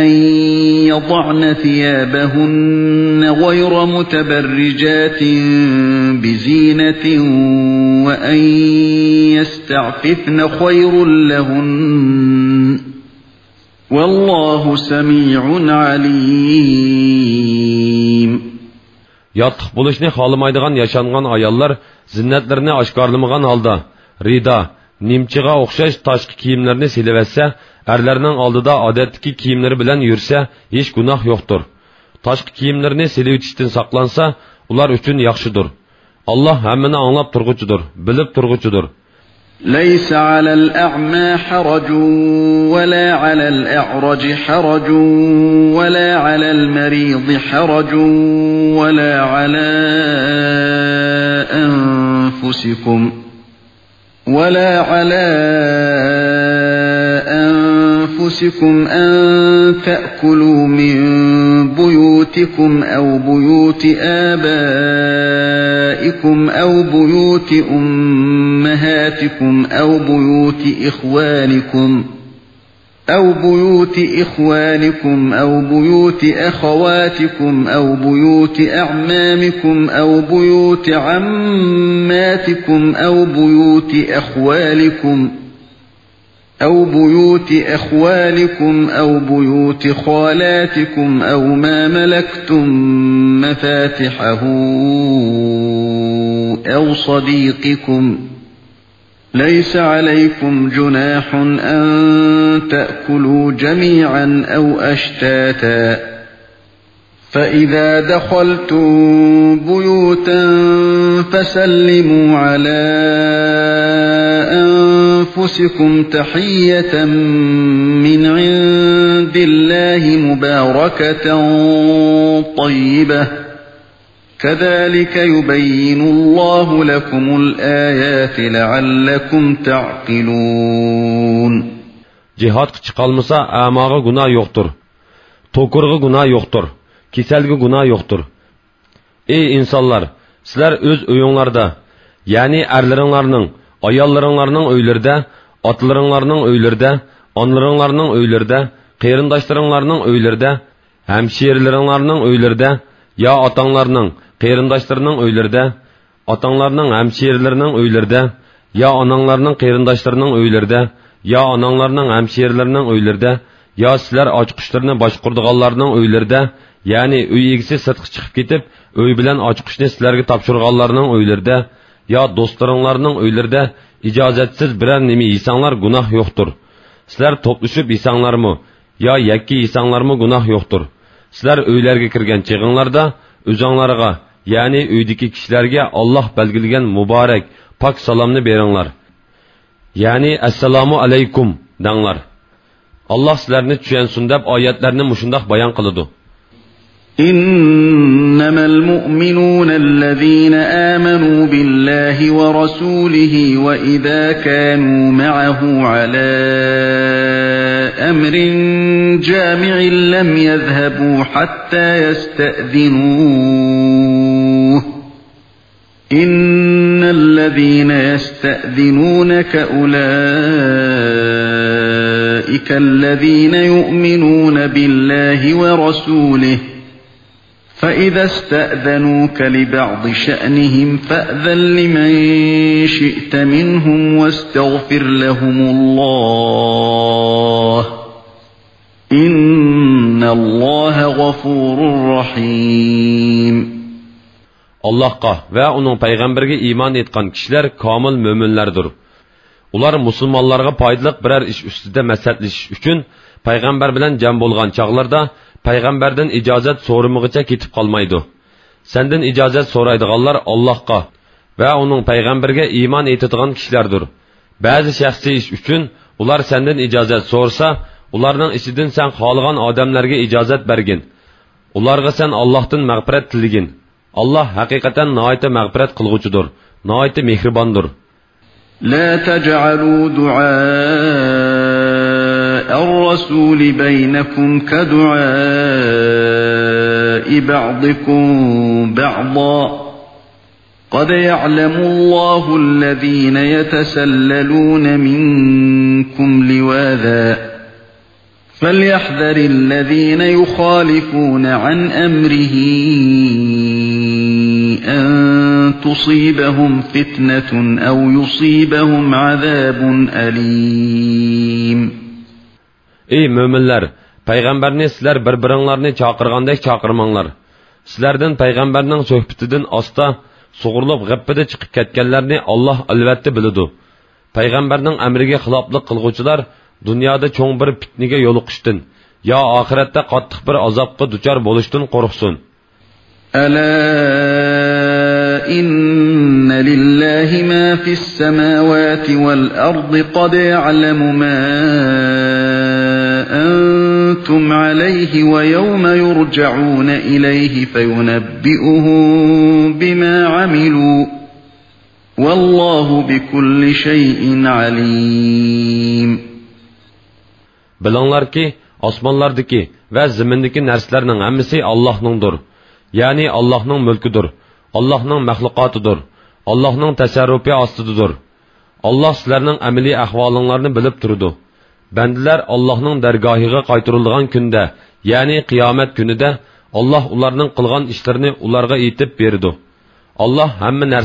أَنْ يَضَعْنَ ثِيَابَهُنَّ غَيْرَ مُتَبَرِّجَاتٍ بِزِينَةٍ وَأَنْ يَسْتَعْفِفْنَ خَيْرٌ لَهُنَّ، وَاللَّهُ سَمِيعٌ عَلِيمٌ. ياتلىق بولۇشنى خالىمايدىغان ياشانغان ئاياللار زىننەتلىرىنى ئاشكارىلىمىغان ھالدا، رىدا، نىمچىغا ئوخشاش تاشقى كىيىملىرىنى سېلىۋەتسە، ئەرلەرنىڭ ئالدىدا ئادەتتىكى كىيىملىرى بىلەن يۈرسە، ھېچ گۇناھ يوقتۇر. تاشقى كىيىملىرىنى سېلىۋېتىشتىن ساقلانسا، ئۇلار ئۈچۈن ياخشىدۇر. ئاللاھ ھەممىنى ئاڭلاپ تۇرغۇچىدۇر، بىلىپ تۇرغۇچىدۇر. لَيْسَ عَلَى الْأَعْمَى حَرَجٌ وَلَا عَلَى الْأَعْرَجِ حَرَجٌ وَلَا عَلَى الْمَرِيضِ حَرَجٌ وَلَا عَلَى أَنْفُسِكُمْ، وَلَا عَلَى أَنْفُسِكُمْ أَنْ تَأْكُلُوا مِنْ بُيُوتِكُمْ أَوْ بُيُوتِ آبَائِكُمْ أَوْ بُيُوتِ أُمَّهَاتِكُمْ أَوْ بُيُوتِ إِخْوَانِكُمْ أَوْ بُيُوتِ إِخْوَانِكُمْ أَوْ بُيُوتِ أَخَوَاتِكُمْ أَوْ بُيُوتِ أَعْمَامِكُمْ أَوْ بُيُوتِ عَمَّاتِكُمْ أَوْ بُيُوتِ أَخْوَالِكُمْ أَوْ بُيُوتِ أَخْوَالِكُمْ أَوْ بُيُوتِ خَالَاتِكُمْ أَوْ مَا مَلَكْتُمْ مَفَاتِحَهُ أَوْ صَدِيقِكُمْ، لَيْسَ عَلَيْكُمْ جُنَاحٌ أَنْ تَأْكُلُوا جَمِيعًا أَوْ أَشْتَاتًا، فَإِذَا دَخَلْتُمْ بُيُوتًا فَسَلِّمُوا عَلَى أَنْفُسِكُمْ تَحِيَّةً مِنْ عِنْدِ اللَّهِ مُبَارَكَةً طَيِّبَةً، كَذَلِكَ يُبَيِّنُ اللَّهُ لَكُمُ الْآيَاتِ لَعَلَّكُمْ تَعْقِلُونَ. جىھادقا چىقالمىسا، ئەماغا گۇناھ يوقتۇر. توكۇرغا گۇناھ يوقتۇر. كېسەلگە گۇناھ يوقتۇر. ئى ئىنسانلار، سىلەر ئۆز ئۆيۈڭلاردا، يەنى ئەرلىرىڭلارنىڭ، ئاياللىرىڭلارنىڭ ئۆيلىرىدە، ئاتىلىرىڭلارنىڭ ئۆيلىرىدە، ئانىلىرىڭلارنىڭ ئۆيلىرىدە، قېرىنداشلىرىڭلارنىڭ ئۆيلىرىدە، ھەمشىرىلىرىڭلارنىڭ ئۆيلىرىدە، يا ئاتاڭلارنىڭ، قېرىنداشلىرىنىڭ ئۆيلىرىدە، ئاتاڭلارنىڭ ھەمشىرىلىرىنىڭ ئۆيلىرىدە، يا ئاناڭلارنىڭ قېرىنداشلىرىنىڭ ئۆيلىرىدە، يا ئاناڭلارنىڭ ھەمشىرىلىرىنىڭ ئۆيلىرىدە، يا سىلەر ئاچقۇچلىرىنى باشقۇرىدىغانلارنىڭ ئۆيلىرىدە، يەنى ئۆي ئىگىسى سىرتقا چىقىپ كېتىپ، ئۆي بىلەن ئاچقۇچنى سىلەرگە تاپشۇرغانلارنىڭ ئۆيلىرىدە، يا دوستلىرىڭلارنىڭ ئۆيلىرىدە ئىجازەتسىز بىرەر نېمە يېسەڭلار گۇناھ يوقتۇر. سىلەر توپلىشىپ يېسەڭلارمۇ، يا يەككە يېسەڭلارمۇ گۇناھ يوقتۇر. سىلەر ئۆيلەرگە كىرگەن چېغىڭلاردا ئۆزۈڭلارغا، يەنى ئۆيدىكى كىشىلەرگە ئاللاھ بەلگىلىگەن مۇبارەك، پاك سالامنى بېرىڭلار. يەنى ئەسسالامۇ ئەلەيكۇم دەڭلار. ئاللاھ سىلەرنى چۈشەنسۇن دەپ ئايەتلەرنى مۇشۇنداق بايان قىلىدۇ. إنما المؤمنون الذين آمنوا بالله ورسوله وإذا كانوا معه على أمر جامع لم يذهبوا حتى يستأذنوه إن الذين يستأذنونك أولئك الذين يؤمنون بالله ورسوله فإذا استأذنوك لبعض شأنهم فأذن لمن شئت منهم واستغفر لهم الله إن الله غفور رحيم. ئاللاھقا ۋە ئۇنىڭ پەيغەمبىرىگە ئىمان ئېيتقان كىشىلەر كامىل مۆمىنلەردۇر. ئۇلار مۇسۇلمانلارغا پايدىلىق بىرەر ئىش ئۈستىدە مەسلىھەتلىشىش ئۈچۈن پەيغەمبەر بىلەن جەم بولغان چاغلىرىدا پەيغەمبەردىن ئىجازەت سورىمىغىچە كېتىپ قالمايدۇ. سەندىن ئىجازەت سورايدىغانلار ئاللاھقا ۋە ئۇنىڭ پەيغەمبىرىگە ئىمان ئېيتىدىغان كىشىلەردۇر. بەزى شەخسىي ئىش ئۈچۈن ئۇلار سەندىن ئىجازەت سورىسا، ئۇلارنىڭ ئىچىدىن سەن خالىغان ئادەملەرگە ئىجازەت بەرگىن. ئۇلارغا سەن ئاللاھتىن مەغپىرەت تىلىگىن. ئاللاھ ھەقىقەتەن ناھايىتى مەغپىرەت قىلغۇچىدۇر، ناھايىتى مېھرىباندۇر. لا تجعلوا دعاء الرسول بينكم كدعاء بعضكم بعضا قد يعلم الله الذين يتسللون منكم لواذا فليحذر الذين يخالفون عن أمره أن تصيبهم فتنة أو يصيبهم عذاب أليم. ئەي مۆمىنلەر، پەيغەمبەرنى سىلەر بىر-بىرىڭلارنى چاقىرغاندەك چاقىرماڭلار. سىلەردىن پەيغەمبەرنىڭ سۆھبىتىدىن ئاستا سۇغۇرۇلۇپ غىپپىدە چىقىپ كەتكەنلەرنى ئاللاھ ئەلۋەتتە بىلىدۇ. پەيغەمبەرنىڭ ئەمرىگە خىلاپلىق قىلغۇچىلار دۇنيادا چوڭ بىر پىتنىگە يولۇقۇشتىن يا ئاخىرەتتە قاتتىق بىر ئازابقا دۇچار بولۇشتىن قورقسۇن. ألا إن لله ما في السماوات والأرض قد يعلم ما أنتم عليه ويوم يرجعون إليه فينبئهم بما عملوا والله بكل شيء عليم. بىلىڭلاركى، ئاسمانلاردىكى ۋە زېمىندىكى نەرسىلەرنىڭ ھەممىسى ئاللاھنىڭدۇر. يەنى ئاللاھنىڭ مۈلكىدۇر، ئاللاھنىڭ مەخلۇقاتىدۇر، ئاللاھنىڭ تەسەررۇپى ئاستىدىدۇر. ئاللاھ سىلەرنىڭ ئەمەلىي ئەھۋالىڭلارنى بىلىپ تۇرىدۇ. بەندىلەر ئاللاھنىڭ دەرگاھىغا قايتۇرۇلىدىغان كۈندە، يەنى قىيامەت كۈنىدە، ئاللاھ ئۇلارنىڭ قىلغان ئىشلىرىنى ئۇلارغا ئېيتىپ بېرىدۇ. ئاللاھ ھەممە نەرسە